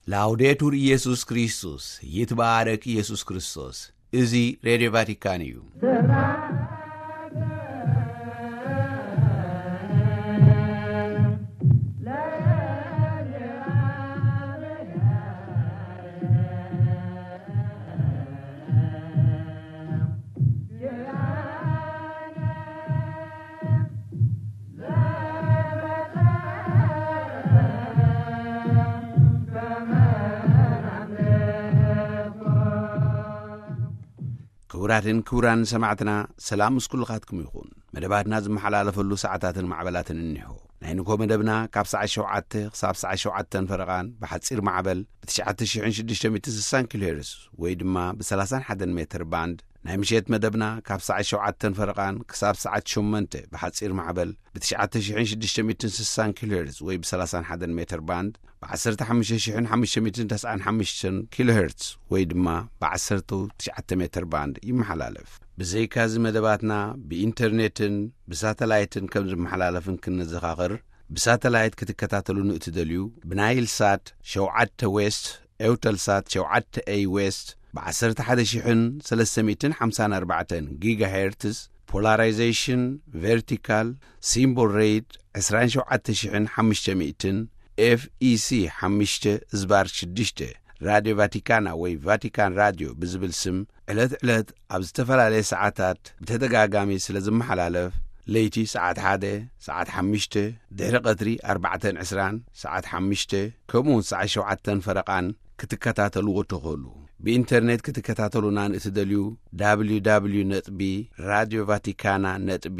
ላውዴቱር ኢየሱስ ክርስቶስ፣ ይትባረክ ኢየሱስ ክርስቶስ። እዚ ሬድዮ ቫቲካን እዩ። ክቡራትን ክቡራን ሰማዕትና፣ ሰላም ምስ ኩልኻትኩም ይኹን። መደባትና ዝመሓላለፈሉ ሰዓታትን ማዕበላትን እኒሆ። ናይ ንግሆ መደብና ካብ ሰዓት ሸውዓተ ክሳብ ሰዓት ሸውዓተን ፈረቓን ብሓጺር ማዕበል ብ ትሽዓተ ሽሕን ሽዱሽተ ሚእትን ስሳን ኪሎ ሄርዝ ወይ ድማ ብ ሰላሳን ሓደን ሜትር ባንድ፣ ናይ ምሸት መደብና ካብ ሰዓት ሸውዓተን ፈረቓን ክሳብ ሰዓት ሸሞንተ ብሓጺር ማዕበል ብ ትሽዓተ ሽሕን ሽዱሽተ ሚእትን ስሳን ኪሎ ሄርዝ ወይ ብ ሰላሳን ሓደን ሜትር ባንድ፣ ብ ዓሰርተ ሓሙሽተ ሽሕን ሓሙሽተ ሚእትን ተስዓን ሓሙሽተን ኪሎ ሄርዝ ወይ ድማ ብ ዓሰርተ ትሽዓተ ሜትር ባንድ ይመሓላለፍ። ብዘይካዚ መደባትና ብኢንተርኔትን ብሳተላይትን ከም ዝመሓላለፍን ክንዘኻኽር፣ ብሳተላይት ክትከታተሉን እትደልዩ፣ ብናይል ሳት ሸውዓተ ዌስት፣ ኤውተልሳት ሸውዓተ ኤይ ዌስት፣ ብ ዓሰርተ ሓደ ሽሕን ሰለስተ ሚእትን ሓምሳን ኣርባዕተን ጊጋሄርትዝ፣ ፖላራይዜሽን ቨርቲካል፣ ሲምቦል ሬት ዕስራን ሸውዓተ ሽሕን ሓሙሽተ ሚእትን፣ ኤፍ ኢ ሲ ሓሙሽተ ዝባር ሽዱሽተ፣ ራድዮ ቫቲካና ወይ ቫቲካን ራድዮ ብዝብል ስም ዕለት ዕለት ኣብ ዝተፈላለየ ሰዓታት ብተደጋጋሚ ስለ ዝመሓላለፍ፣ ለይቲ ሰዓት ሓደ፣ ሰዓት ሓሙሽተ፣ ድሕሪ ቀትሪ ኣርባዕተን ዕስራን፣ ሰዓት ሓሙሽተ፣ ከምኡውን ሰዓት ሸውዓተን ፈረቓን ክትከታተልዎ ትኽእሉ። ብኢንተርኔት ክትከታተሉና ንእትደልዩ፣ ደብሊው ደብሊው ነጥቢ ራድዮ ቫቲካና ነጥቢ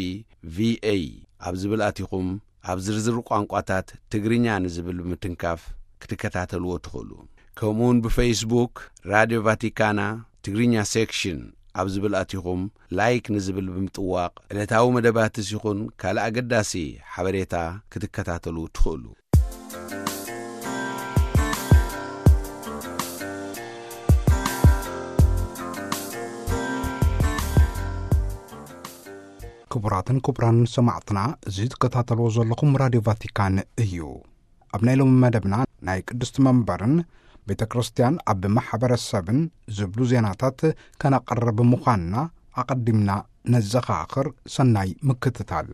ቪ ኤ ኣብ ዝብል ኣቲኹም፣ ኣብ ዝርዝር ቋንቋታት ትግርኛ ንዝብል ብምትንካፍ ክትከታተልዎ ትኽእሉ። ከምኡውን ብፌስቡክ ራድዮ ቫቲካና ትግርኛ ሴክሽን ኣብ ዝብል ኣቲኹም፣ ላይክ ንዝብል ብምጥዋቕ፣ ዕለታዊ መደባትስ ይኹን ካልእ ኣገዳሲ ሓበሬታ ክትከታተሉ ትኽእሉ። ክቡራትን ክቡራን ሰማዕትና፣ እዚ ትከታተልዎ ዘለኹም ራድዮ ቫቲካን እዩ። ኣብ ናይ ሎሚ መደብና ናይ ቅድስቲ መንበርን ቤተ ክርስቲያን ኣብ ማሕበረሰብን ዝብሉ ዜናታት ከነቕርብ ምዃንና ኣቐዲምና ነዘኻኽር። ሰናይ ምክትታል።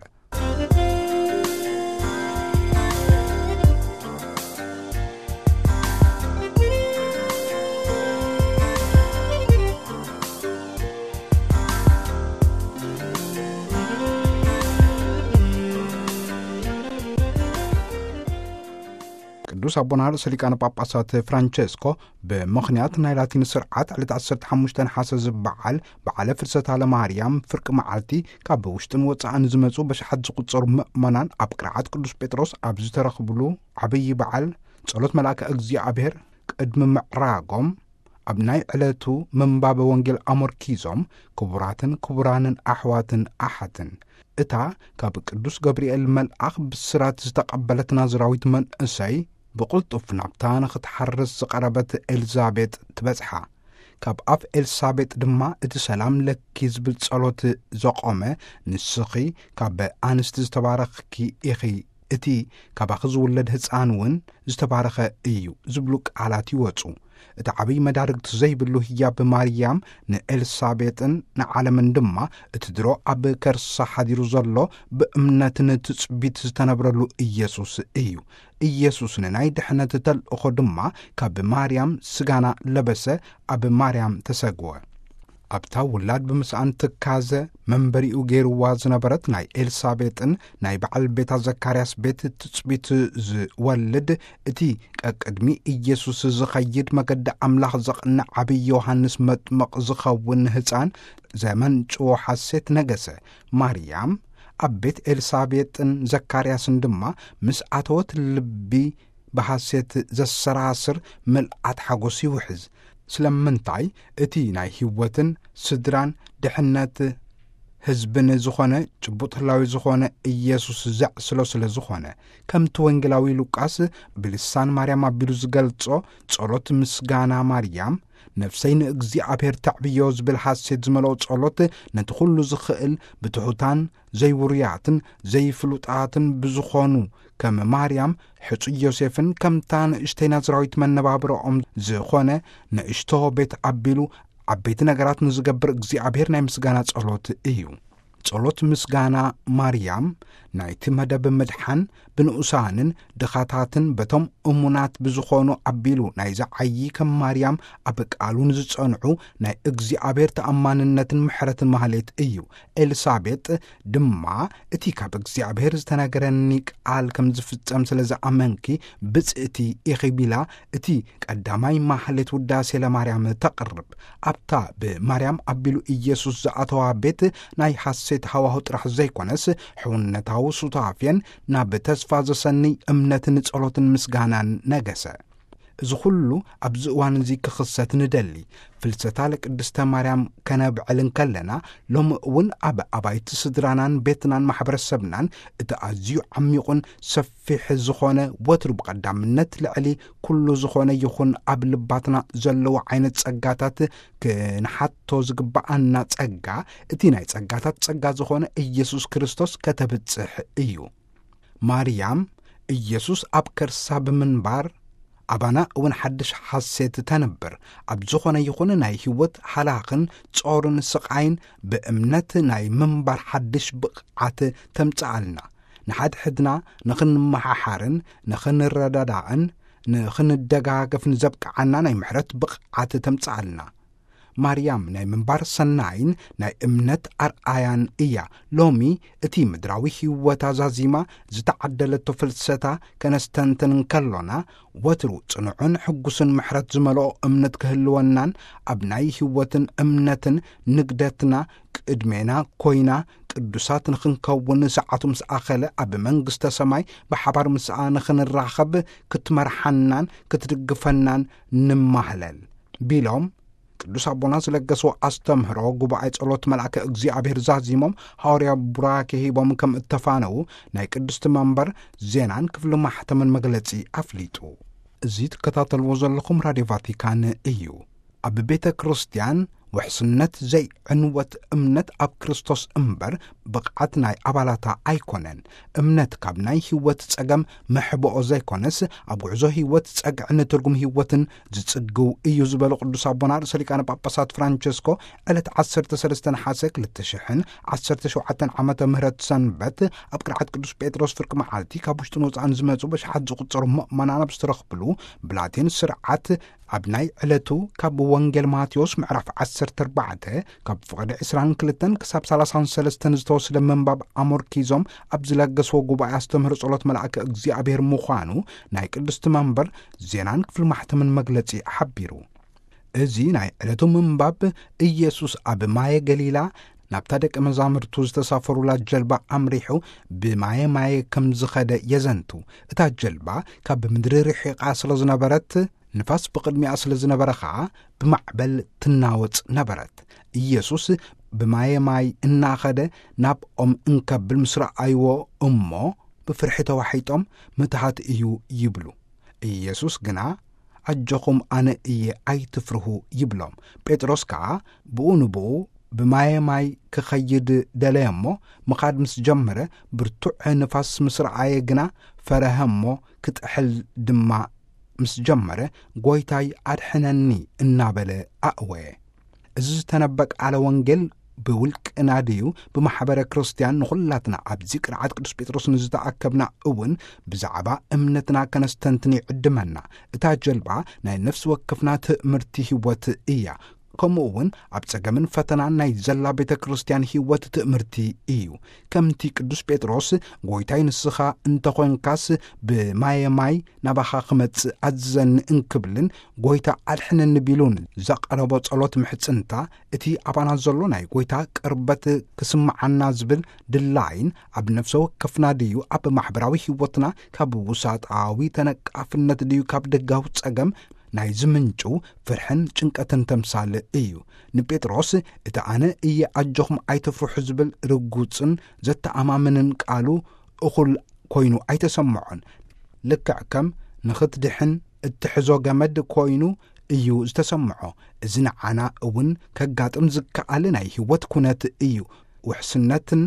ቅዱስ ኣቦና ርእሰ ሊቃነ ጳጳሳት ፍራንቸስኮ፣ ብምኽንያት ናይ ላቲን ስርዓት ዕለት ዓሰርተ ሓሙሽተ ነሓሰ ዝበዓል በዓለ ፍልሰታ ለማርያም ፍርቂ መዓልቲ፣ ካብ ውሽጥን ወጻእን ዝመጹ በሽሓት ዝቑጸሩ ምእመናን ኣብ ቅርዓት ቅዱስ ጴጥሮስ ኣብ ዝተረኽብሉ ዓብዪ በዓል ጸሎት መልኣከ እግዚኣብሔር ቅድሚ ምዕራጎም፣ ኣብ ናይ ዕለቱ ምንባበ ወንጌል ኣመርኪዞም፣ ክቡራትን ክቡራንን ኣሕዋትን ኣሓትን፣ እታ ካብ ቅዱስ ገብርኤል መልኣኽ ብስራት ዝተቐበለት ናዝራዊት መንእሰይ ብቕልጡፍ ናብታ ንኽትሓርስ ዝቐረበት ኤልዛቤጥ ትበጽሓ። ካብ ኣፍ ኤልሳቤጥ ድማ እቲ ሰላም ለኪ ዝብል ጸሎት ዘቖመ፣ ንስኺ ካብ ኣንስቲ ዝተባረኽኪ ኢኺ፣ እቲ ካባኺ ዝውለድ ህጻን እውን ዝተባረኸ እዩ ዝብሉ ቃላት ይወጹ። እቲ ዓብዪ መዳርግቲ ዘይብሉ ህያብ ማርያም ንኤልሳቤጥን ንዓለምን ድማ እቲ ድሮ ኣብ ከርሳ ሓዲሩ ዘሎ ብእምነትን ትጽቢት ዝተነብረሉ ኢየሱስ እዩ። ኢየሱስ ንናይ ድሕነት ተልእኾ ድማ ካብ ማርያም ስጋና ለበሰ፣ ኣብ ማርያም ተሰግወ። ኣብታ ውላድ ብምስኣን ትካዘ መንበሪኡ ገይርዋ ዝነበረት ናይ ኤልሳቤጥን ናይ በዓል ቤታ ዘካርያስ ቤት ትጽቢት ዝወልድ፣ እቲ ቀቅድሚ ኢየሱስ ዝኸይድ መገዲ ኣምላኽ ዘቕንዕ ዓብዪ ዮሃንስ መጥምቕ ዝኸውን ህፃን ዘመንጭዎ ሓሴት ነገሰ። ማርያም ኣብ ቤት ኤልሳቤጥን ዘካርያስን ድማ ምስ ኣተወት ልቢ ብሓሴት ዘሰራስር ምልኣት ሓጎስ ይውሕዝ። ስለምንታይ? እቲ ናይ ህይወትን ስድራን ድሕነት ህዝብን ዝኾነ ጭቡጥ ህላዊ ዝኾነ ኢየሱስ ዘዕስሎ ስለ ዝኾነ፣ ከምቲ ወንጌላዊ ሉቃስ ብልሳን ማርያም ኣቢሉ ዝገልጾ፣ ጸሎት ምስጋና ማርያም፣ ነፍሰይ ንእግዚኣብሔር ተዕብዮ ዝብል ሓሴት ዝመልኦ ጸሎት፣ ነቲ ኩሉ ዝኽእል ብትሑታን ዘይውሩያትን ዘይፍሉጣትን ብዝኾኑ ከም ማርያም ሕጹይ ዮሴፍን ከምታ ንእሽተይ ናዝራዊት መነባብሮኦም ዝኾነ ንእሽቶ ቤት ኣቢሉ ዓበይቲ ነገራት ንዝገብር እግዚኣብሔር ናይ ምስጋና ጸሎት እዩ። ጸሎት ምስጋና ማርያም ናይቲ መደብ ምድሓን ብንኡሳንን ድኻታትን በቶም እሙናት ብዝኾኑ ኣቢሉ ናይ ዝዓዪ ከም ማርያም ኣብ ቃሉ ንዝጸንዑ ናይ እግዚኣብሔር ተኣማንነትን ምሕረትን ማህሌት እዩ። ኤልሳቤጥ ድማ እቲ ካብ እግዚኣብሔር ዝተነገረኒ ቃል ከም ዝፍጸም ስለ ዝኣመንኪ ብጽእቲ ኢኺ ቢላ እቲ ቀዳማይ ማህሌት ውዳሴ ለማርያም ተቕርብ። ኣብታ ብማርያም ኣቢሉ ኢየሱስ ዝኣተዋ ቤት ናይ ሓሴት ሃዋሁ ጥራሕ ዘይኮነስ፣ ሕውነታዊ ሱታፌን ናብ ተስፋ ዘሰንይ እምነትን ጸሎትን ምስጋናን ነገሰ። እዚ ኩሉ ኣብዚ እዋን እዚ ክኽሰት ንደሊ። ፍልሰታ ለቅድስተ ማርያም ከነብዕል እንከለና፣ ሎሚ እውን ኣብ ኣባይቲ ስድራናን ቤትናን ማሕበረሰብናን እቲ ኣዝዩ ዓሚቑን ሰፊሕ ዝኾነ፣ ወትሩ ብቐዳምነት ልዕሊ ኩሉ ዝኾነ ይኹን ኣብ ልባትና ዘለዉ ዓይነት ጸጋታት ክንሓቶ ዝግብኣና ጸጋ፣ እቲ ናይ ጸጋታት ጸጋ ዝኾነ ኢየሱስ ክርስቶስ ከተብጽሕ እዩ። ማርያም ኢየሱስ ኣብ ከርሳ ብምንባር፣ ኣባና እውን ሓድሽ ሓሴት ተንብር። ኣብ ዝኾነ ይኹን ናይ ህይወት ሃላኽን ጾርን ስቓይን ብእምነት ናይ ምንባር ሓድሽ ብቕዓት ተምጽኣልና። ንሓድሕድና ንኽንመሓሓርን ንኽንረዳዳእን ንኽንደጋገፍን ዘብቅዓና ናይ ምሕረት ብቕዓት ተምጽኣልና። ማርያም ናይ ምንባር ሰናይን ናይ እምነት ኣርኣያን እያ። ሎሚ እቲ ምድራዊ ህይወታ ዛዚማ ዝተዓደለቶ ፍልሰታ ከነስተንትን እንከሎና፣ ወትሩ ጽኑዕን ሕጉስን ምሕረት ዝመልኦ እምነት ክህልወናን፣ ኣብ ናይ ህይወትን እምነትን ንግደትና ቅድሜና ኮይና ቅዱሳት ንኽንከውን ሰዓቱ ምስ ኣኸለ ኣብ መንግስተ ሰማይ ብሓባር ምስኣ ንኽንራኸብ ክትመርሓናን ክትድግፈናን ንማህለል ቢሎም ቅዱስ ኣቦና ዝለገስዎ ኣስተምህሮ ጉባኤ ጸሎት መልኣከ እግዚኣብሔር ዛዚሞም፣ ሃዋርያ ቡራኬ ሂቦም ከም እተፋነዉ ናይ ቅድስቲ መንበር ዜናን ክፍሊ ማሕተምን መግለጺ ኣፍሊጡ። እዚ ትከታተልዎ ዘለኹም ራድዮ ቫቲካን እዩ። ኣብ ቤተ ክርስቲያን ውሕስነት ዘይዕንወት እምነት ኣብ ክርስቶስ እምበር ብቕዓት ናይ ኣባላታ ኣይኮነን። እምነት ካብ ናይ ህይወት ጸገም መሕብኦ ዘይኮነስ፣ ኣብ ጉዕዞ ህይወት ጸግዕን ትርጉም ህይወትን ዝጽግው እዩ ዝበሉ ቅዱስ ኣቦና ርእሰ ሊቃነ ጳጳሳት ፍራንቸስኮ፣ ዕለት ዓሰርተ ሰለስተ ነሓሰ ክልተ ሽሕን ዓሰርተ ሸውዓተን ዓመተ ምህረት ሰንበት ኣብ ቅርዓት ቅዱስ ጴጥሮስ ፍርቂ መዓልቲ ካብ ውሽጥን ወጻእን ዝመጹ በሽሓት ዝቑጸሩ ምእመናን ኣብ ዝተረኽብሉ ብላቴን ስርዓት ኣብ ናይ ዕለቱ ካብ ወንጌል ማቴዎስ ምዕራፍ ዓሰርተ ኣርባዕተ ካብ ፍቕዲ ዕስራን ክልተን ክሳብ ሰላሳን ሰለስተን ዝተወስደ ምንባብ ኣሞርኪዞም ኣብ ዝለገስዎ ጉባኤ ኣስተምህሮ ጸሎት መልኣከ እግዚኣብሔር ምዃኑ ናይ ቅድስቲ መንበር ዜናን ክፍሊ ማሕተምን መግለጺ ሓቢሩ። እዚ ናይ ዕለቱ ምንባብ፣ ኢየሱስ ኣብ ማየ ገሊላ ናብታ ደቀ መዛሙርቱ ዝተሳፈሩላ ጀልባ ኣምሪሑ ብማየ ማየ ከም ዝኸደ የዘንቱ። እታ ጀልባ ካብ ምድሪ ርሒቓ ስለ ዝነበረት፣ ንፋስ ብቕድሚኣ ስለ ዝነበረ ኸኣ ብማዕበል ትናወጽ ነበረት። ኢየሱስ ብማየ ማይ እናኸደ ናብኦም እንከብል ምስ ረኣይዎ እሞ ብፍርሒ ተዋሒጦም ምትሃት እዩ ይብሉ። ኢየሱስ ግና ኣጆኹም ኣነ እየ ኣይትፍርሁ ይብሎም። ጴጥሮስ ከኣ ብኡ ንብኡ ብማየ ማይ ክኸይድ ደለየ እሞ ምኻድ ምስ ጀመረ ብርቱዕ ንፋስ ምስ ረኣየ ግና ፈረሀ እሞ ክጥሕል ድማ ምስ ጀመረ፣ "ጐይታይ ኣድሕነኒ" እናበለ ኣእወየ። እዚ ዝተነበ ቃለ ወንጌል ብውልቅና ድዩ ብማሕበረ ክርስትያን ንኹላትና ኣብዚ ቅርዓት ቅዱስ ጴጥሮስ ንዝተኣከብና እውን ብዛዕባ እምነትና ከነስተንትን ይዕድመና። እታ ጀልባ ናይ ነፍሲ ወከፍና ትእምርቲ ህይወት እያ። ከምኡ እውን ኣብ ጸገምን ፈተናን ናይ ዘላ ቤተ ክርስትያን ህይወት ትእምርቲ እዩ። ከምቲ ቅዱስ ጴጥሮስ "ጐይታይ ንስኻ እንተኾንካስ ብማየ ማይ ናባኻ ክመጽእ ኣዝዘኒ" እንክብልን "ጐይታ ኣድሕነኒ" ቢሉን ዘቕረቦ ጸሎት ምሕጽንታ፣ እቲ ኣባና ዘሎ ናይ ጐይታ ቅርበት ክስምዓና ዝብል ድላይን ኣብ ነፍሰ ወከፍና ድዩ ኣብ ማሕበራዊ ህይወትና ካብ ውሳጣዊ ተነቃፍነት ድዩ ካብ ደጋዊ ጸገም ናይ ዝምንጩ ፍርሕን ጭንቀትን ተምሳል እዩ። ንጴጥሮስ እቲ ኣነ እየ ኣጆኹም ኣይትፍርሑ ዝብል ርጉጽን ዘተኣማምንን ቃሉ እኹል ኮይኑ ኣይተሰምዖን። ልክዕ ከም ንኽትድሕን እትሕዞ ገመድ ኮይኑ እዩ ዝተሰምዖ። እዚ ንዓና እውን ከጋጥም ዝከኣል ናይ ህይወት ኩነት እዩ። ውሕስነትን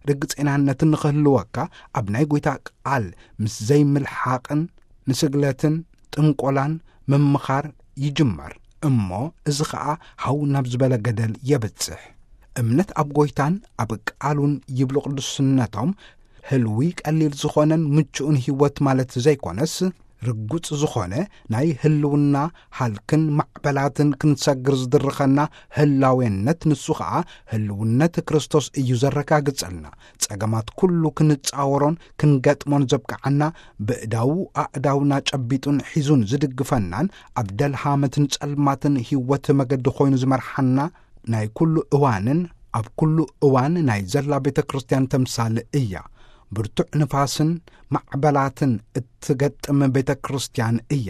ርግጼናነትን ንኽህልወካ ኣብ ናይ ጐይታ ቃል ምስ ዘይምልሓቕን ንስግለትን ጥንቆላን ምምኻር ይጅመር። እሞ እዚ ኸኣ ሃው ናብ ዝበለ ገደል የብጽሕ። እምነት ኣብ ጐይታን ኣብ ቃሉን ይብሉ ቅዱስነቶም፣ ህልዊ ቀሊል ዝኾነን ምቹእን ህይወት ማለት ዘይኮነስ፣ ርጉጽ ዝኾነ ናይ ህልውና ሃልክን ማዕበላትን ክንሰግር ዝድርኸና ህላዌነት ንሱ ኸኣ ህልውነት ክርስቶስ እዩ ዘረጋግጸልና። ጸገማት ኩሉ ክንጻወሮን ክንገጥሞን ዘብቅዓና፣ ብእዳዉ ኣእዳውና ጨቢጡን ሒዙን ዝድግፈናን ኣብ ደልሃመትን ጸልማትን ህይወት መገዲ ኮይኑ ዝመርሓና ናይ ኩሉ እዋንን ኣብ ኩሉ እዋን ናይ ዘላ ቤተ ክርስቲያን ተምሳል እያ። ብርቱዕ ንፋስን ማዕበላትን እትገጥም ቤተ ክርስቲያን እያ።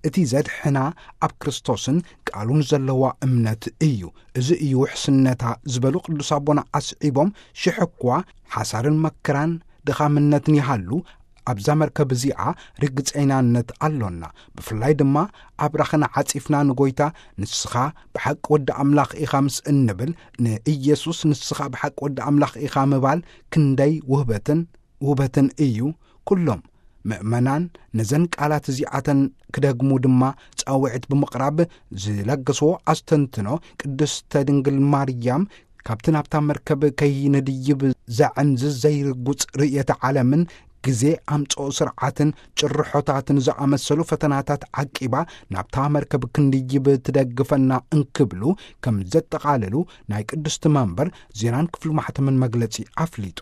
እቲ ዘድሕና ኣብ ክርስቶስን ቃሉን ዘለዋ እምነት እዩ። እዚ እዩ ውሕስነታ ዝበሉ ቅዱስ ኣቦና ኣስዒቦም፣ ሽሕ እኳ ሓሳርን መከራን ድኻምነትን ይሃሉ፣ ኣብዛ መርከብ እዚኣ ርግጸይናነት ኣሎና። ብፍላይ ድማ ኣብራኽና ዓጺፍና ንጎይታ፣ "ንስኻ ብሓቂ ወዲ ኣምላኽ ኢኻ" ምስ እንብል፣ ንኢየሱስ "ንስኻ ብሓቂ ወዲ ኣምላኽ ኢኻ" ምባል ክንደይ ውህበትን ውበትን እዩ። ኩሎም ምእመናን ነዘን ቃላት እዚኣተን ክደግሙ ድማ ጻውዒት ብምቕራብ ዝለገስዎ ኣስተንትኖ፣ ቅድስተ ድንግል ማርያም ካብቲ ናብታ መርከብ ከይንድይብ ዘዕንዝዝ ዘይርጉጽ ርእየተ ዓለምን ግዜ ኣምጽኦ ስርዓትን ጭርሖታትን ዝኣመሰሉ ፈተናታት ዓቂባ ናብታ መርከብ ክንድይብ ትደግፈና እንክብሉ ከም ዘጠቓለሉ ናይ ቅድስቲ መንበር ዜናን ክፍሊ ማሕተምን መግለጺ ኣፍሊጡ።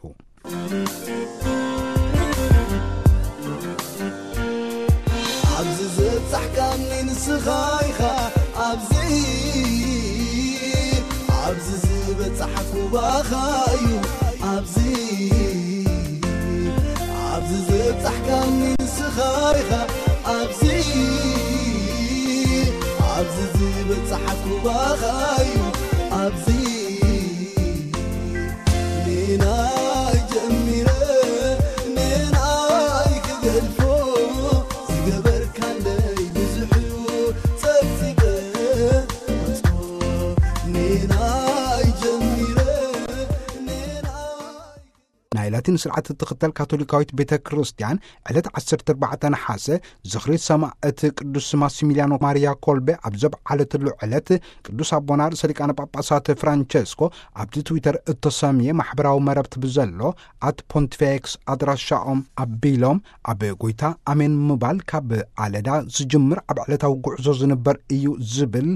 ኣብዚ ዝበጻሕካኒ ንስኻ ኢኻ፣ ኣብዚ፣ ኣብዚ ዝበጻሕኩ ባኻ እዩ፣ ኣብዚ፣ ኣብዚ ዝበጻሕካኒ ንስኻ ኢኻ፣ ኣብዚ፣ ኣብዚ ዝበጻሕኩ ባኻ እዩ፣ ኣብዚ። ንናይ ጀሚረ ንናይ ክገድፎ ዝገበርካለይ ብዙሕ እዩ ጸብጺበ። ንናይ ጀሚረ ንናይ ናይ ላቲን ስርዓት እትኽተል ካቶሊካዊት ቤተ ክርስቲያን ዕለት ዓሰርተ ኣርባዕተ ነሓሰ ዝኽሪ ሰማዕት ቅዱስ ማሲሚልያኖ ማርያ ኮልቤ ኣብ ዘብዓለትሉ ዕለት፣ ቅዱስ ኣቦና ርእሰ ሊቃነ ጳጳሳት ፍራንቸስኮ ኣብቲ ትዊተር እተሰምየ ማሕበራዊ መረብቲ ብዘሎ ኣት ፖንቲፌክስ ኣድራሻኦም ኣቢሎም፣ ኣብ ጎይታ ኣሜን ምባል ካብ ኣለዳ ዝጅምር ኣብ ዕለታዊ ጉዕዞ ዝንበር እዩ ዝብል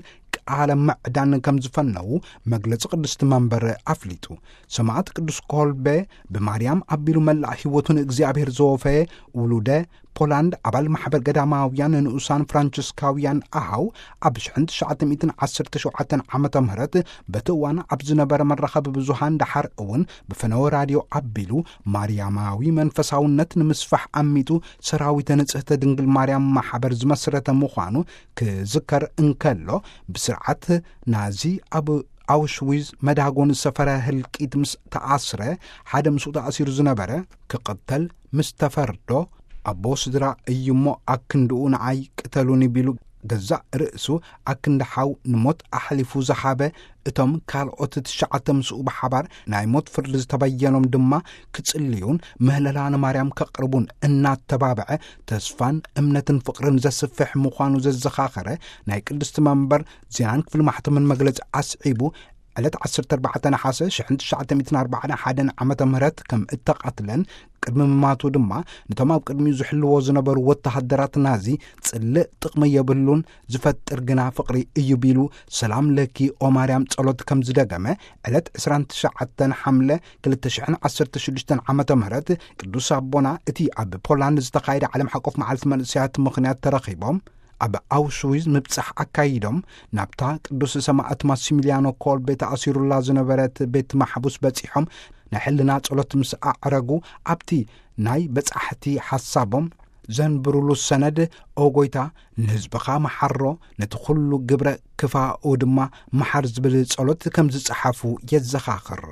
ቃለ ምዕዳን ከም ዝፈነዉ መግለጺ ቅድስቲ መንበር ኣፍሊጡ። ሰማዕት ቅዱስ ኮልቤ ብማርያም ኣቢሉ መላእ ህይወቱ ንእግዚኣብሔር ዘወፈየ፣ ውሉደ ፖላንድ፣ ኣባል ማሕበር ገዳማውያን ንኡሳን ፍራንቸስካውያን ኣሃው፣ ኣብ ሽሕን ትሽዓተ ሚእትን ዓሰርተ ሸውዓተን ዓመተ ምህረት በቲ እዋን ኣብ ዝነበረ መራኸቢ ብዙሃን፣ ደሓር እውን ብፈነወ ራድዮ ኣቢሉ፣ ማርያማዊ መንፈሳውነት ንምስፋሕ ኣሚቱ ሰራዊተ ንጽህተ ድንግል ማርያም ማሕበር ዝመስረተ ምዃኑ ክዝከር እንከሎ፣ ብስርዓት ናዚ ኣብ ኣውሽዊዝ መዳጎኒ ሰፈረ ህልቂት ምስ ተኣስረ፣ ሓደ ምስኡ ተኣሲሩ ዝነበረ ክቕተል ምስ ተፈርዶ፣ ኣቦ ስድራ እዩሞ ኣክንድኡ ንዓይ ቅተሉኒ ቢሉ ገዛእ ርእሱ ኣክንዲ ሓው ንሞት ኣሕሊፉ ዝሃበ፣ እቶም ካልኦት ትሽዓተ ምስኡ ብሓባር ናይ ሞት ፍርዲ ዝተበየኖም ድማ ክጽልዩን ምህለላ ንማርያም ከቕርቡን እናተባብዐ፣ ተስፋን እምነትን ፍቕርን ዘስፍሕ ምዃኑ ዘዘኻኸረ ናይ ቅድስቲ መንበር ዜናን ክፍሊ ማሕተምን መግለጺ ኣስዒቡ፣ ዕለት ዓሰርተ ኣርባዕተ ነሓሰ ሽሕን ትሽዓተ ሚእትን ኣርባዓን ሓደን ዓመተ ምህረት ከም እተቐትለን፣ ቅድሚ ምማቱ ድማ ነቶም ኣብ ቅድሚኡ ዝሕልዎ ዝነበሩ ወተሃደራት ናዚ ጽልእ ጥቕሚ የብሉን፣ ዝፈጥር ግና ፍቕሪ እዩ ቢሉ፣ ሰላም ለኪ ኦ ማርያም ጸሎት ከም ዝደገመ፣ ዕለት ዕስራን ትሽዓተን ሓምለ ክልተ ሽሕን ዓሰርተ ሽዱሽተን ዓመተ ምህረት ቅዱስ ኣቦና እቲ ኣብ ፖላንድ ዝተኻየደ ዓለም ሓቆፍ መዓልቲ መንእሰያት ምኽንያት ተረኺቦም ኣብ ኣውሽዊዝ ምብጻሕ ኣካይዶም፣ ናብታ ቅዱስ ሰማዕት ማሲሚልያኖ ኮልቤ ተኣሲሩላ ዝነበረት ቤት ማሕቡስ በጺሖም፣ ናይ ሕልና ጸሎት ምስ ኣዕረጉ፣ ኣብቲ ናይ በጻሕቲ ሓሳቦም ዘንብሩሉ ሰነድ፣ "ኦ ጎይታ፣ ንህዝብኻ መሓሮ፣ ነቲ ኩሉ ግብረ ክፋኡ ድማ መሓር" ዝብል ጸሎት ከም ዝጸሓፉ የዘኻኽር።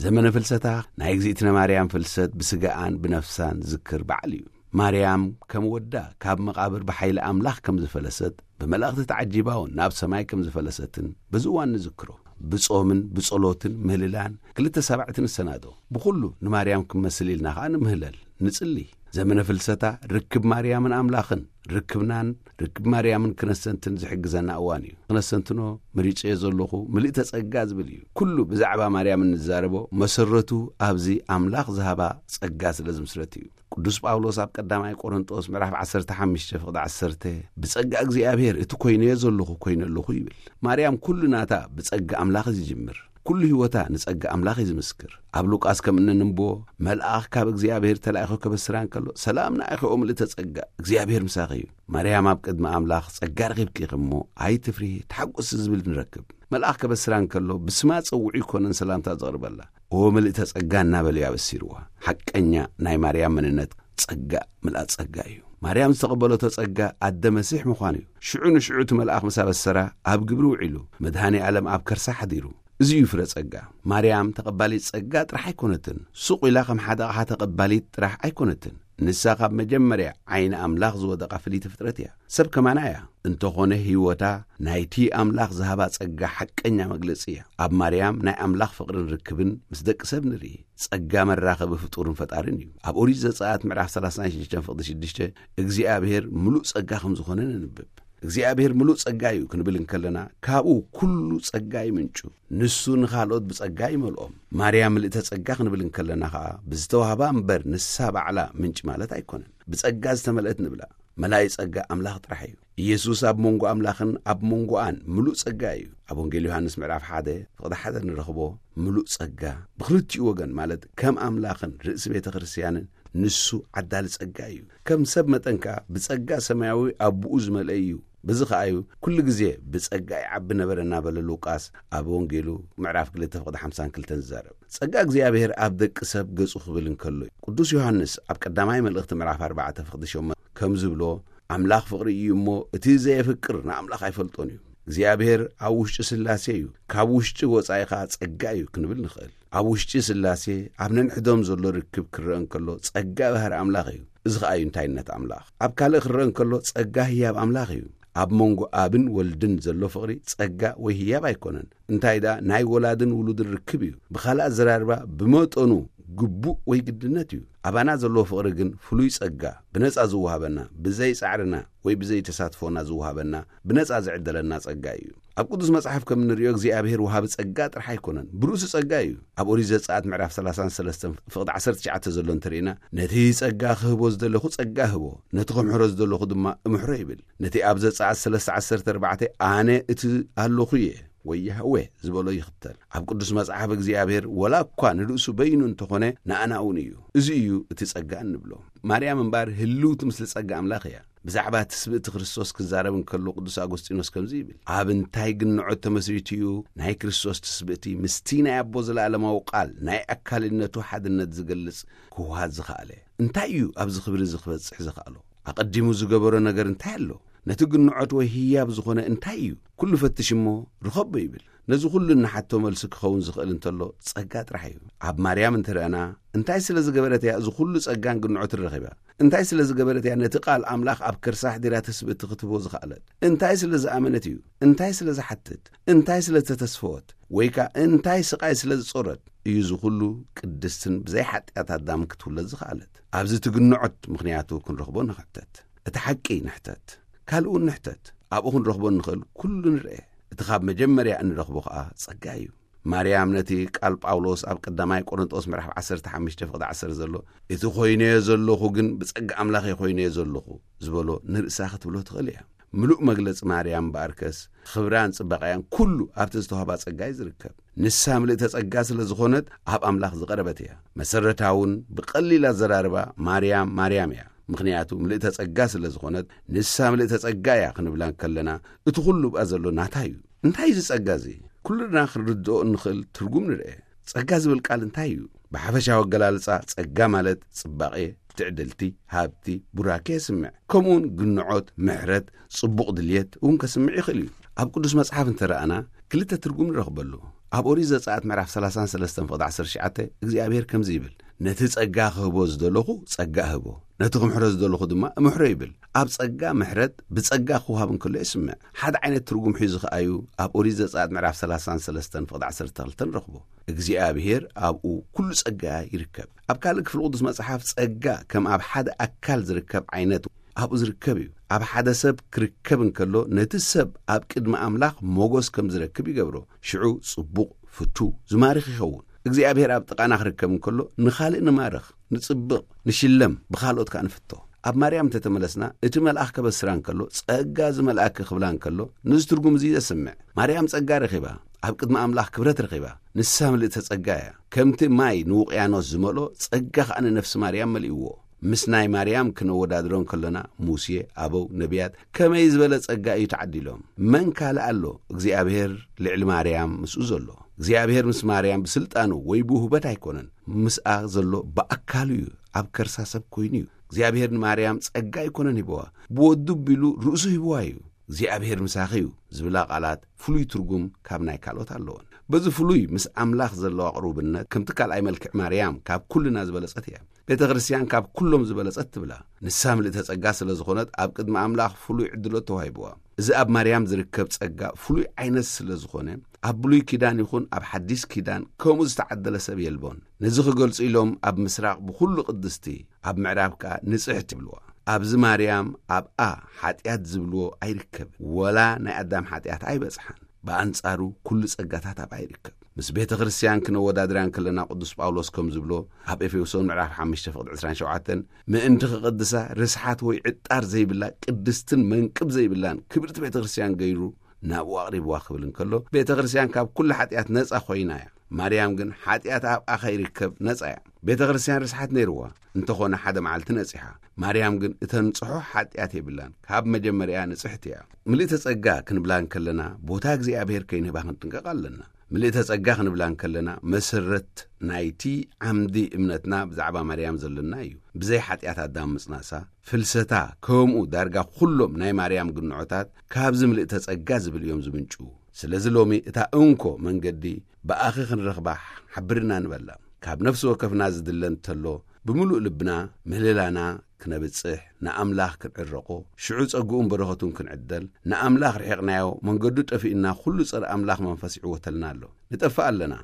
ዘመነ ፍልሰታ ናይ እግዚኣብእነ ማርያም ፍልሰት ብስጋኣን ብነፍሳን ዝክር በዓል እዩ። ማርያም ከም ወዳ ካብ መቓብር ብሓይሊ ኣምላኽ ከም ዝፈለሰት፣ ብመላእኽቲ ተዓጂባ እውን ናብ ሰማይ ከም ዝፈለሰትን በዚ እዋን ንዝክሮ። ብጾምን ብጸሎትን ምህልላን ክልተ ሳባዕቲ ንሰናዶ። ብኹሉ ንማርያም ክመስል ኢልና ኸኣ ንምህለል፣ ንጽሊ። ዘመነ ፍልሰታ ርክብ ማርያምን ኣምላኽን፣ ርክብናን ርክብ ማርያምን ክነስተንትን ዝሕግዘና እዋን እዩ። ክነስተንትኖ መሪጸዮ ዘለኹ ምልእተ ጸጋ ዝብል እዩ። ኩሉ ብዛዕባ ማርያም እንዛረቦ መሰረቱ ኣብዚ ኣምላኽ ዝሃባ ጸጋ ስለ ዝምስረት እዩ። ቅዱስ ጳውሎስ ኣብ ቀዳማይ ቆሮንጦስ ምዕራፍ ዓሰርተ ሓሙሽተ ፍቕዲ ዓሰርተ፣ "ብጸጋ እግዚኣብሔር እቲ ኮይነዮ ዘለኹ ኮይነ ኣለኹ" ይብል። ማርያም ኩሉ ናታ ብጸጋ ኣምላኽ እዩ ዝጅምር። ኩሉ ህይወታ ንጸጋ ኣምላኽ እዩ ዝምስክር። ኣብ ሉቃስ ከም እንንብቦ፣ "መልኣኽ ካብ እግዚኣብሔር ተላኢኹ ከበስራ እንከሎ፣ ሰላም ንኣይኹ ኦ ምልእተ ጸጋ፣ እግዚኣብሔር ምሳኺ እዩ። ማርያም ኣብ ቅድሚ ኣምላኽ ጸጋ ረኺብኪ ኢኺ እሞ ኣይትፍርሂ፣ ተሓጎሲ" ዝብል ንረክብ። መልኣኽ ከበስራ እንከሎ፣ ብስማ ጸውዑ ይኮነን ሰላምታ ዘቕርበላ። "ኦ ምልእተ ጸጋ" እናበለ እዩ ኣበሲርዋ። ሓቀኛ ናይ ማርያም መንነት ጸጋ፣ ምልኣት ጸጋ እዩ። ማርያም ዝተቐበለቶ ጸጋ ኣደ መሲሕ ምዃኑ እዩ። ሽዑ ንሽዑ እቲ መልኣኽ ምስ ኣበሰራ፣ ኣብ ግብሪ ውዒሉ፣ መድኃኔ ዓለም ኣብ ከርሳ ሓዲሩ። እዚ እዩ ፍረ ጸጋ። ማርያም ተቐባሊት ጸጋ ጥራሕ ኣይኮነትን። ሱቕ ኢላ ከም ሓደ ኣቕሓ ተቐባሊት ጥራሕ ኣይኮነትን። ንሳ ካብ መጀመርያ ዓይኒ ኣምላኽ ዝወደቓ ፍልይቲ ፍጥረት እያ። ሰብ ከማና እያ። እንተኾነ ህይወታ ናይቲ ኣምላኽ ዝሃባ ጸጋ ሓቀኛ መግለጺ እያ። ኣብ ማርያም ናይ ኣምላኽ ፍቕርን ርክብን ምስ ደቂ ሰብ ንርኢ። ጸጋ መራኸቢ ፍጡርን ፈጣርን እዩ። ኣብ ኦሪት ዘጸኣት ምዕራፍ ሰላሳን ሽዱሽተን ፍቕዲ ሽዱሽተ እግዚኣብሔር ምሉእ ጸጋ ከም ዝኾነ ነንብብ። እግዚኣብሔር ምሉእ ጸጋ እዩ ክንብል እንከለና፣ ካብኡ ኩሉ ጸጋ ይምንጩ። ንሱ ንኻልኦት ብጸጋ ይመልኦም። ማርያም ምልእተ ጸጋ ክንብል እንከለና ኸኣ፣ ብዝተዋህባ እምበር ንሳ ባዕላ ምንጭ ማለት ኣይኮነን። ብጸጋ ዝተመልአት ንብላ። መላኢ ጸጋ ኣምላኽ ጥራሕ እዩ። ኢየሱስ ኣብ መንጎ ኣምላኽን ኣብ መንጎኣን ምሉእ ጸጋ እዩ። ኣብ ወንጌል ዮሃንስ ምዕራፍ ሓደ ፍቕዲ ሓደ ንረኽቦ ምሉእ ጸጋ። ብኽልቲኡ ወገን ማለት ከም ኣምላኽን ርእሲ ቤተ ክርስቲያንን ንሱ ዓዳሊ ጸጋ እዩ። ከም ሰብ መጠን ከኣ ብጸጋ ሰማያዊ ኣቦኡ ዝመልአ እዩ። በዚ ኸኣ እዩ ኩሉ ግዜ "ብጸጋ ይዓቢ ነበረ" እናበለ ሉቃስ ኣብ ወንጌሉ ምዕራፍ ክልተ ፍቕዲ ሓምሳን ክልተን ዝዛረብ። ጸጋ እግዚኣብሔር ኣብ ደቂ ሰብ ገጹ ክብል እንከሎ እዩ። ቅዱስ ዮሃንስ ኣብ ቀዳማይ መልእኽቲ ምዕራፍ ኣርባዕተ ፍቕዲ ሸሞንተ ከም ዝብሎ፣ "ኣምላኽ ፍቕሪ እዩ እሞ፣ እቲ ዘየፍቅር ንኣምላኽ ኣይፈልጦን እዩ። እግዚኣብሔር ኣብ ውሽጢ ስላሴ እዩ፣ ካብ ውሽጢ ወጻኢ ኸኣ ጸጋ እዩ" ክንብል ንኽእል። ኣብ ውሽጢ ስላሴ ኣብ ነንሕዶም ዘሎ ርክብ ክረአ እንከሎ፣ ጸጋ ባህሪ ኣምላኽ እዩ። እዚ ኸኣ እዩ እንታይነት ኣምላኽ። ኣብ ካልእ ክረአ እንከሎ፣ ጸጋ ህያብ ኣምላኽ እዩ። ኣብ መንጎ ኣብን ወልድን ዘሎ ፍቕሪ ጸጋ ወይ ህያብ ኣይኮነን። እንታይ ደኣ፣ ናይ ወላድን ውሉድን ርክብ እዩ። ብኻልእ ኣዘራርባ፣ ብመጠኑ ግቡእ ወይ ግድነት እዩ። ኣባና ዘለዎ ፍቕሪ ግን ፍሉይ ጸጋ፣ ብነጻ ዝወሃበና፣ ብዘይ ጻዕርና ወይ ብዘይ ተሳትፎና ዝወሃበና፣ ብነጻ ዝዕደለና ጸጋ እዩ። ኣብ ቅዱስ መጽሓፍ ከም እንርእዮ እግዚኣብሔር ወሃቢ ጸጋ ጥራሕ ኣይኮነን፣ ብርእሱ ጸጋ እዩ። ኣብ ኦሪት ዘጸኣት ምዕራፍ ሰላሳን ሰለስተን ፍቕዲ ዓሰርተ ትሽዓተ ዘሎ እንተርኢና፣ "ነቲ ጸጋ ክህቦ ዝደለኹ ጸጋ እህቦ፣ ነቲ ክምሕሮ ዝደለኹ ድማ እምሕሮ" ይብል። ነቲ ኣብ ዘጸኣት ሰለስተ ዓሰርተ ኣርባዕተ "ኣነ እቲ ኣለኹ እየ" ወይ ያህዌ ዝበሎ ይኽተል። ኣብ ቅዱስ መጽሓፍ እግዚኣብሔር ወላ እኳ ንርእሱ በይኑ እንተኾነ፣ ንኣና እውን እዩ። እዚ እዩ እቲ ጸጋ እንብሎ። ማርያም እምበኣር ህልውቲ ምስሊ ጸጋ ኣምላኽ እያ። ብዛዕባ ትስብእቲ ክርስቶስ ክዛረብ እንከሎ ቅዱስ ኣጎስጢኖስ ከምዚ ይብል፣ "ኣብ እንታይ ግንዖት ተመስሪቱ እዩ ናይ ክርስቶስ ትስብእቲ ምስቲ ናይ ኣቦ ዘለኣለማዊ ቃል ናይ ኣካልነቱ ሓድነት ዝገልጽ ክውሃድ ዝኸኣለ? እንታይ እዩ ኣብዚ ክብሪ እዚ ክበጽሕ ዝኸኣሎ? ኣቐዲሙ ዝገበሮ ነገር እንታይ ኣሎ? ነቲ ግንዖት ወይ ህያብ ዝኾነ እንታይ እዩ? ኩሉ ፈትሽ እሞ ርኸቦ" ይብል። ነዚ ኩሉ እንሓቶ መልሲ ክኸውን ዝኽእል እንተሎ ጸጋ ጥራሕ እዩ። ኣብ ማርያም እንተረኣና፣ እንታይ ስለ ዝገበረት እያ እዚ ኩሉ ጸጋን ግንዖትን ረኺባ? እንታይ ስለ ዝገበረት እያ ነቲ ቃል ኣምላኽ ኣብ ከርሳ ኣሕዲራ ትስብእቲ ክትህቦ ዝኸኣለት? እንታይ ስለ ዝኣመነት እዩ? እንታይ ስለ ዝሓትት? እንታይ ስለ ዝተተስፈወት? ወይ ከኣ እንታይ ስቓይ ስለ ዝጾረት እዩ እዚ ኩሉ ቅድስትን ብዘይ ሓጢኣት ኣዳም ክትውለድ ዝኸኣለት? ኣብዚ ትግንዖት ምኽንያቱ ክንረኽቦ ንሕተት። እቲ ሓቂ ንሕተት። ካልእ እውን ንሕተት። ኣብኡ ክንረኽቦ እንኽእል ኩሉ ንርኤ። እቲ ካብ መጀመርያ እንረኽቦ ኸኣ ጸጋ እዩ። ማርያም ነቲ ቃል ጳውሎስ ኣብ ቀዳማይ ቆሮንጦስ ምዕራፍ ዓሰርተ ሓሙሽተ ፍቕዲ ዓሰርተ ዘሎ፣ "እቲ ኮይነዮ ዘለኹ ግን ብጸጋ ኣምላኽ እየ ኮይነዮ ዘለኹ" ዝበሎ ንርእሳ ክትብሎ ትኽእል እያ። ምሉእ መግለጺ ማርያም እምበኣርከስ፣ ክብራን ጽባቐያን ኩሉ ኣብቲ ዝተዋህባ ጸጋ እዩ ዝርከብ። ንሳ ምልእተ ጸጋ ስለ ዝኾነት፣ ኣብ ኣምላኽ ዝቐረበት እያ። መሰረታውን ብቐሊል ኣዘራርባ፣ ማርያም ማርያም እያ። ምኽንያቱ ምልእተ ጸጋ ስለ ዝኾነት፣ ንሳ ምልእተ ጸጋ እያ ክንብላ እንከለና፣ እቲ ኩሉ ብኣ ዘሎ ናታ እዩ። እንታይ እዩ እዚ ጸጋ እዚ? ኩልና ክንርድኦ እንኽእል ትርጉም ንርኤ። ጸጋ ዝብል ቃል እንታይ እዩ? ብሓፈሻዊ ኣገላልጻ፣ ጸጋ ማለት ጽባቐ፣ ትዕድልቲ፣ ሃብቲ፣ ቡራኬ የስምዕ። ከምኡውን ግንዖት፣ ምሕረት፣ ጽቡቕ ድልየት እውን ከስምዕ ይኽእል እዩ። ኣብ ቅዱስ መጽሓፍ እንተረኣና፣ ክልተ ትርጉም ንረኽበሉ። ኣብ ኦሪት ዘጸኣት ምዕራፍ ሰላሳን ሰለስተን ፍቕዲ ዓሰርተ ትሽዓተ እግዚኣብሔር ከምዚ ይብል፣ "ነቲ ጸጋ ክህቦ ዝደለኹ ጸጋ እህቦ፣ ነቲ ክምሕሮ ዝደለኹ ድማ እምሕሮ" ይብል። ኣብ ጸጋ ምሕረት ብጸጋ ክወሃብ እንከሎ የስምዕ። ሓደ ዓይነት ትርጉም ሒዙ ከኣዩ ኣብ ኦሪት ዘጸኣት ምዕራፍ ሰላሳን ሰለስተን ፍቕዲ ዓሰርተ ክልተ ንረኽቦ። እግዚኣብሔር ኣብኡ ኩሉ ጸጋ ይርከብ። ኣብ ካልእ ክፍሊ ቅዱስ መጽሓፍ ጸጋ ከም ኣብ ሓደ ኣካል ዝርከብ ዓይነት ኣብኡ ዝርከብ እዩ። ኣብ ሓደ ሰብ ክርከብ እንከሎ፣ ነቲ ሰብ ኣብ ቅድሚ ኣምላኽ ሞገስ ከም ዝረክብ ይገብሮ። ሽዑ ጽቡቕ፣ ፍቱ፣ ዝማርኽ ይኸውን። እግዚኣብሔር ኣብ ጥቓና ክርከብ እንከሎ፣ ንኻልእ ንማርኽ፣ ንጽብቕ፣ ንሽለም፣ ብኻልኦት ከኣ ንፍቶ። ኣብ ማርያም እንተተመለስና፣ እቲ መልኣኽ ከበስራ እንከሎ፣ "ጸጋ ዝመልኣኪ" ክብላ እንከሎ፣ ነዚ ትርጉም እዚ የስምዕ። ማርያም ጸጋ ረኺባ፣ ኣብ ቅድሚ ኣምላኽ ክብረት ረኺባ። ንሳ ምልእተ ጸጋ እያ። ከምቲ ማይ ንውቅያኖስ ዝመልኦ፣ ጸጋ ከኣ ንነፍሲ ማርያም መሊእዎ። ምስ ናይ ማርያም ክነወዳድሮ እንከለና፣ ሙሴ፣ ኣበው፣ ነቢያት ከመይ ዝበለ ጸጋ እዩ ተዓዲሎም? መን ካልእ ኣሎ እግዚኣብሔር ልዕሊ ማርያም ምስኡ ዘሎ? እግዚኣብሔር ምስ ማርያም ብስልጣኑ ወይ ብውህበት ኣይኮነን። ምስኣ ዘሎ ብኣካሉ እዩ፣ ኣብ ከርሳ ሰብ ኮይኑ እዩ። እግዚኣብሔር ንማርያም ጸጋ ኣይኮነን ሂብዋ፣ ብወዱ ቢሉ ርእሱ ሂብዋ እዩ። እግዚኣብሔር ምሳኺ እዩ ዝብላ ቃላት ፍሉይ ትርጉም ካብ ናይ ካልኦት ኣለወን። በዚ ፍሉይ ምስ ኣምላኽ ዘለዋ ቅሩብነት ከምቲ ካልኣይ መልክዕ ማርያም ካብ ኩልና ዝበለጸት እያ። ቤተ ክርስቲያን ካብ ኩሎም ዝበለጸት ትብላ። ንሳ ምልእተ ጸጋ ስለ ዝኾነት ኣብ ቅድሚ ኣምላኽ ፍሉይ ዕድሎት ተዋሂብዋ። እዚ ኣብ ማርያም ዝርከብ ጸጋ ፍሉይ ዓይነት ስለ ዝኾነ ኣብ ብሉይ ኪዳን ይኹን ኣብ ሓዲስ ኪዳን ከምኡ ዝተዓደለ ሰብ የልቦን። ነዚ ክገልጹ ኢሎም ኣብ ምስራቕ ብኹሉ ቅድስቲ፣ ኣብ ምዕራብ ከኣ ንጽሕቲ ይብልዋ። ኣብዚ ማርያም ኣብኣ ሓጢኣት ዝብልዎ ኣይርከብን። ወላ ናይ ኣዳም ሓጢኣት ኣይበጽሓን። ብኣንጻሩ ኩሉ ጸጋታት ኣብኣ ይርከብ። ምስ ቤተ ክርስቲያን ክነወዳድራ እንከለና ቅዱስ ጳውሎስ ከም ዝብሎ ኣብ ኤፌሶን ምዕራፍ ሓሙሽተ ፍቕዲ ዕስራን ሸውዓተን፣ "ምእንቲ ክቕድሳ ርስሓት ወይ ዕጣር ዘይብላ ቅድስትን መንቅብ ዘይብላን ክብርቲ ቤተ ክርስቲያን ገይሩ ናብኡ ኣቕሪብዋ" ክብል እንከሎ፣ ቤተ ክርስቲያን ካብ ኩሉ ሓጢኣት ነጻ ኮይና እያ። ማርያም ግን ሓጢኣት ኣብኣ ከይርከብ ነጻ እያ። ቤተ ክርስቲያን ርስሓት ነይርዋ፣ እንተኾነ ሓደ መዓልቲ ነጺሓ። ማርያም ግን እተንጽሖ ሓጢኣት የብላን፣ ካብ መጀመርያ ንጽሕቲ እያ። ምልእተ ጸጋ ክንብላ እንከለና፣ ቦታ እግዚኣብሔር ከይንህባ ክንጥንቀቕ ኣለና። ምልእተ ጸጋ ክንብላ እንከለና፣ መሰረት ናይቲ ዓምዲ እምነትና ብዛዕባ ማርያም ዘለና እዩ። ብዘይ ሓጢኣት ኣዳም ምጽናሳ፣ ፍልሰታ፣ ከምኡ ዳርጋ ኩሎም ናይ ማርያም ግንዖታት ካብዚ ምልእተ ጸጋ ዝብል እዮም ዝምንጩ። ስለዚ ሎሚ እታ እንኮ መንገዲ ብኣኺ ክንረኽባ ሓብርና ንበላ። ካብ ነፍሲ ወከፍና ዝድለ እንተሎ፣ ብምሉእ ልብና ምህልላና ክነብጽሕ፣ ንኣምላኽ ክንዕረቆ፣ ሽዑ ጸግኡን በረኸቱን ክንዕደል፣ ንኣምላኽ ርሒቕናዮ፣ መንገዱ ጠፊእና፣ ኩሉ ጸረ ኣምላኽ መንፈስ ይዕወተልና ኣሎ። ንጠፍእ ኣለና።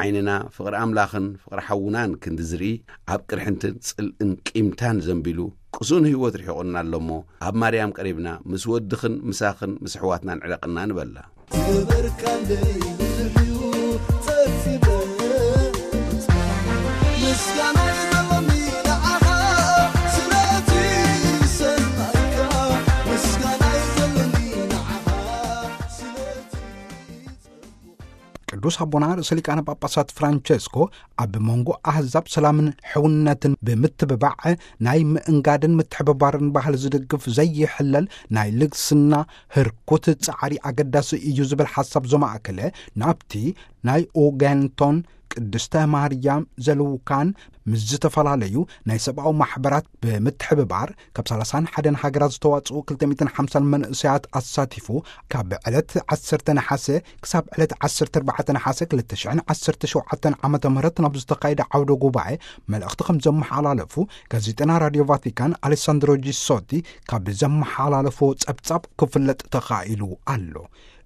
ዓይንና ፍቕሪ ኣምላኽን ፍቕሪ ሓውናን ክንዲ ዝርኢ፣ ኣብ ቅርሕንትን ጽልእን ቂምታን ዘንቢሉ፣ ቅሱን ህይወት ርሒቑና ኣሎ እሞ፣ ኣብ ማርያም ቀሪብና፣ ምስ ወድኽን ምሳኽን ምስ ኣሕዋትናን ዕረቕና ንበላ። ክበርካለይ ብዙሕ እዩ ጸፊበ፣ ምስጋና ይዘለኒ ንዓኻ፣ ስለቲ ዝሰማዕካ፣ ምስጋና ይዘለኒ ንዓኻ፣ ስለቲ ቅዱስ ኣቦና ርእሰ ሊቃነ ጳጳሳት ፍራንቸስኮ ኣብ መንጎ ኣህዛብ ሰላምን ሕውነትን ብምትብባዕ ናይ ምእንጋድን ምትሕብባርን ባህሊ ዝድግፍ ዘይሕለል ናይ ልግስና ህርኩት ጻዕሪ ኣገዳሲ እዩ ዝብል ሓሳብ ዘማእከለ ናብቲ ናይ ኡጋንቶን ቅድስተ ማርያም ዘልውካን ምስ ዝተፈላለዩ ናይ ሰብኣዊ ማሕበራት ብምትሕብባር ካብ ሰላሳን ሓደን ሃገራት ዝተዋጽኡ ክልተ ሚእትን ሓምሳን መንእሰያት ኣሳቲፉ ካብ ዕለት ዓሰርተ ነሓሰ ክሳብ ዕለት ዓሰርተ ኣርባዕተ ነሓሰ ክልተ ሽሕን ዓሰርተ ሸውዓተን ዓመተ ምህረት ናብ ዝተኻየደ ዓውደ ጉባኤ መልእኽቲ ከም ዘመሓላለፉ ጋዜጠና ራድዮ ቫቲካን ኣሌሳንድሮ ጂሶቲ ካብ ዘመሓላለፎ ጸብጻብ ክፍለጥ ተኻኢሉ ኣሎ።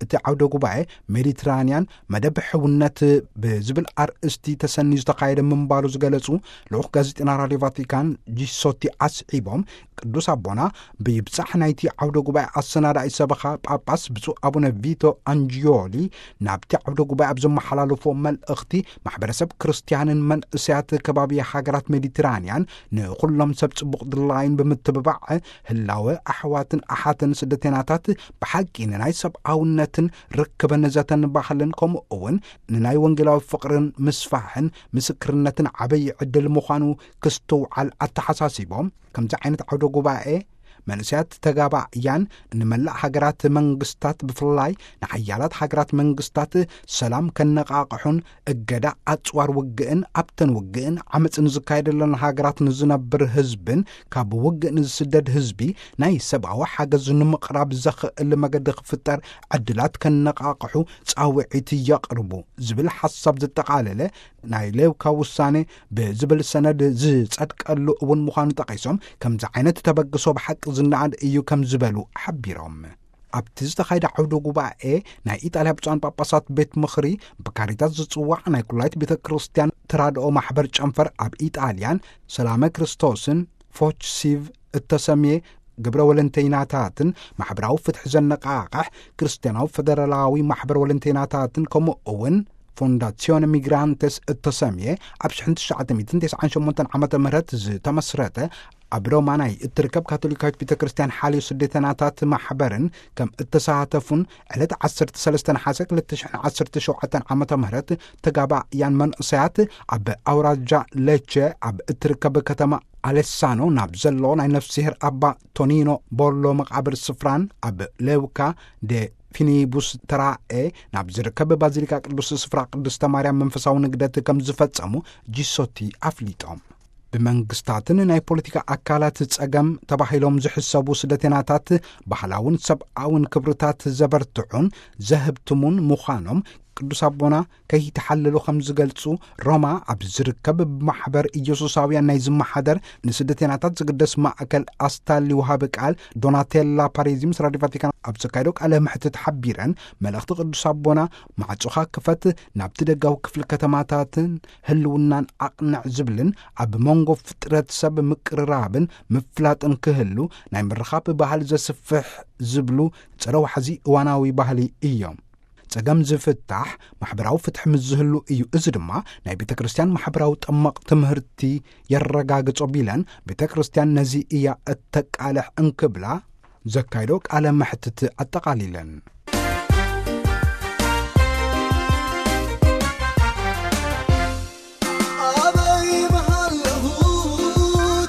እቲ ዓውደ ጉባኤ ሜዲትራንያን መደብ ሕውነት ብዝብል ኣርእስቲ ተሰንዩ ዝተኻየደ ምንባሩ ዝገለጹ ልኡኽ ጋዜጠና ራድዮ ቫቲካን ጂሶቲ ኣስዒቦም፣ ቅዱስ ኣቦና ብይብጻሕ ናይቲ ዓውደ ጉባኤ ኣሰናዳኢ ሰበኻ ጳጳስ ብፁዕ ኣቡነ ቪቶ ኣንጂዮሊ ናብቲ ዓውደ ጉባኤ ኣብ ዘመሓላለፎ መልእኽቲ፣ ማሕበረሰብ ክርስትያንን መንእሰያት ከባቢ ሃገራት ሜዲትራንያን ንኹሎም ሰብ ጽቡቕ ድላይን ብምትብባዕ፣ ህላወ ኣሕዋትን ኣሓትን ስደተናታት ብሓቂ ንናይ ሰብኣውነትን ርክብን ዘተን ባህልን ከምኡ እውን ንናይ ወንጌላዊ ፍቕርን ምስፋሕን ምስክርነትን ዓበይ ዕድል ምዃኑ ክስትውዓል ኣተሓሳሲቦም፣ ከምዚ ዓይነት ዓውደ ጉባኤ መንእሰያት ተጋባእያን ንመላእ ሃገራት መንግስታት፣ ብፍላይ ንሓያላት ሃገራት መንግስታት ሰላም ከነቓቕሑን እገዳ ኣጽዋር ውግእን ኣብተን ውግእን ዓመጽን ዝካየደለን ሃገራት ንዝነብር ህዝብን ካብ ውግእ ንዝስደድ ህዝቢ ናይ ሰብኣዊ ሓገዝ ንምቕራብ ዘኽእል መገዲ ክፍጠር ዕድላት ከነቓቕሑ ጻውዒት የቕርቡ ዝብል ሓሳብ ዘጠቓለለ ናይ ሌውካ ውሳኔ ብዝብል ሰነድ ዝጸድቀሉ እውን ምዃኑ ጠቒሶም፣ ከምዚ ዓይነት ተበግሶ ብሓቂ ዝነኣድ እዩ ከም ዝበሉ ሓቢሮም። ኣብቲ ዝተኻየደ ዓውደ ጉባኤ ናይ ኢጣልያ ብፁዓን ጳጳሳት ቤት ምኽሪ ብካሪታስ ዝጽዋዕ ናይ ኩላይት ቤተ ክርስቲያን ተራድኦ ማሕበር ጨንፈር ኣብ ኢጣልያን ሰላመ ክርስቶስን ፎች ሲቭ እተሰምየ ግብረ ወለንተይናታትን ማሕበራዊ ፍትሒ ዘነቃቕሕ ክርስትያናዊ ፈደራላዊ ማሕበር ወለንተይናታትን ከምኡ እውን ፎንዳሲዮን ሚግራንቴስ እተሰምየ ኣብ ሽሕን ትሽዓተ ሚእትን ተስዓን ሸሞንተን ዓመተ ምህረት ዝተመስረተ ኣብ ሮማ ናይ እትርከብ ካቶሊካዊት ቤተ ክርስቲያን ሓልዮ ስደተናታት ማሕበርን ከም እተሳተፉን ዕለት ዓሰርተ ሰለስተ ነሓሰ ክልተ ሽሕን ዓሰርተ ሸውዓተን ዓመተ ምህረት ተጋባእያን መንእሰያት ኣብ ኣውራጃ ሌቼ ኣብ እትርከብ ከተማ ኣሌሳኖ ናብ ዘሎ ናይ ነፍስሄር ኣባ ቶኒኖ ቦሎ መቃብር ስፍራን ኣብ ሌውካ ደ ፊኒቡስ ተራኤ ናብ ዝርከብ ባዚሊካ ቅዱስ ስፍራ ቅድስተ ማርያም መንፈሳዊ ንግደት ከም ዝፈጸሙ ጂሶቲ ኣፍሊጦም። ብመንግስታትን ናይ ፖለቲካ ኣካላት ጸገም ተባሂሎም ዝሕሰቡ ስደተናታት ባህላውን ሰብኣውን ክብርታት ዘበርትዑን ዘህብትሙን ምዃኖም ቅዱስ ኣቦና ከይተሓለሉ ከም ዝገልጹ ሮማ ኣብ ዝርከብ ብማሕበር ኢየሱሳውያን ናይ ዝመሓደር ንስደተናታት ዝግደስ ማእከል ኣስታሊ ወሃቢ ቃል ዶናቴላ ፓሬዚ ምስ ራዲዮ ቫቲካን ኣብ ዘካየዶ ቃለ መሕትት ሓቢረን፣ መልእኽቲ ቅዱስ ኣቦና ማዕጾኻ ክፈት፣ ናብቲ ደጋዊ ክፍሊ ከተማታትን ህልውናን ኣቕንዕ ዝብልን ኣብ መንጎ ፍጥረት ሰብ ምቅርራብን ምፍላጥን ክህሉ ናይ ምርኻብ ባህሊ ዘስፍሕ ዝብሉ ጸረ ዋሕዚ እዋናዊ ባህሊ እዮም። ጸገም ዝፍታሕ ማሕበራዊ ፍትሒ ምስ ዝህሉ እዩ። እዚ ድማ ናይ ቤተ ክርስቲያን ማሕበራዊ ጠመቕ ትምህርቲ የረጋግጾ ቢለን፣ ቤተ ክርስቲያን ነዚ እያ እተቃልሕ እንክብላ ዘካይዶ ቃለ መሕትት ኣጠቓሊለን። ኣበይ ምሃለኹ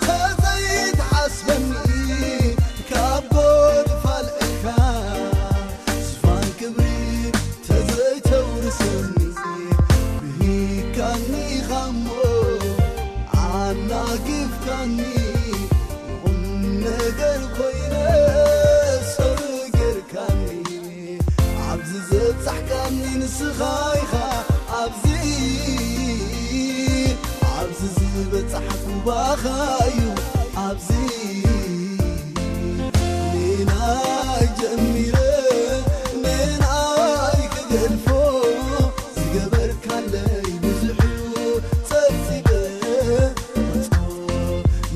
ተዘይትሓስበኒ ካብ ጎድፋልካ ዝፋን ክብሪ ተዘይተውርሰኒ ብሂካኒ ኻሞ ኣናጊፍካኒ ቁም ነገር ኮይነ ሰብ ጌርካኒ ኣብዚ ዘብጻሕካኒ ንስኻ ኢኻ ኣብዚ ኣብዚ ዝበጻሕኩ ባኻዩ ኣብዚ ኔናይ ጀሚረ ኔናይ ክገድፎ ዝገበርካለይ ብዙሕ እዩ ጸብጺበ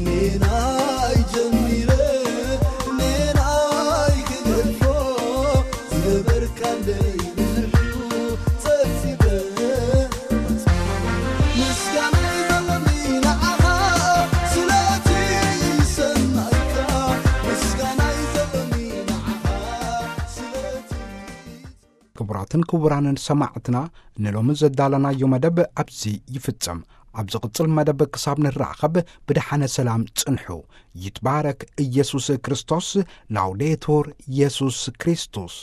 ኔናይ ጀሚረ ኔናይ ክገድፎ ዝገበርካለይ ብዙሕ እዩ ጸብጺበ ምስጋና ይዘለኒ ንዓኻ ስለቲ ሰናይካ ምስጋና ይዘለኒ ንዓኻ ስለቲ ክቡራትን ክቡራንን ሰማዕትና፣ ንሎሚ ዘዳለናዮ መደብ ኣብዚ ይፍጸም። ኣብ ዝቕጽል መደብ ክሳብ ንራኸብ ብደሓነ ሰላም ጽንሑ። ይትባረክ ኢየሱስ ክርስቶስ። ላውዴቱር ኢየሱስ ክርስቶስ።